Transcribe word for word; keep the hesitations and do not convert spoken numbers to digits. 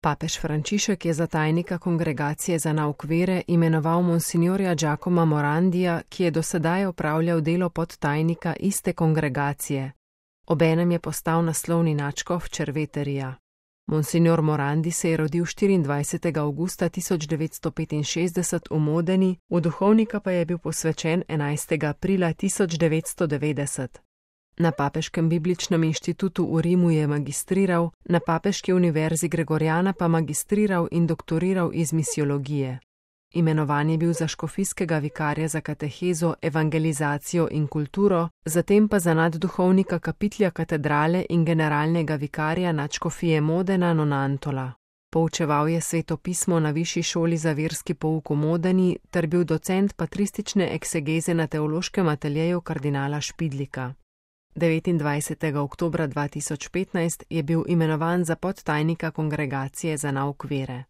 Papež Frančišek je za tajnika Kongregacije za nauk vere imenoval monsignorja Giacomo Morandija, ki je dosedaj opravljal delo podtajnika iste kongregacije. Obenem je postal naslovni nadškof Červeterija. Monsignor Morandi se je rodil štiriindvajsetega avgusta tisoč devetsto petinšestdeset v Modeni, v duhovnika pa je bil posvečen enajstega aprila tisoč devetsto devetdeset. Na Papeškem bibličnem inštitutu v Rimu je magistriral, na Papeški univerzi Gregoriana pa magistriral in doktoriral iz misiologije. Imenovan je bil za škofijskega vikarja za katehezo, evangelizacijo in kulturo, zatem pa za nadduhovnika kapitlja katedrale in generalnega vikarja nadškofije Modena Nonantola. Poučeval je sveto pismo na Višji šoli za verski pouk v Modeni ter bil docent patristične eksegeze na teološkem ateljeju kardinala Špidlika. devetindvajsetega oktobra dva tisoč petnajst je bil imenovan za podtajnika Kongregacije za nauk vere.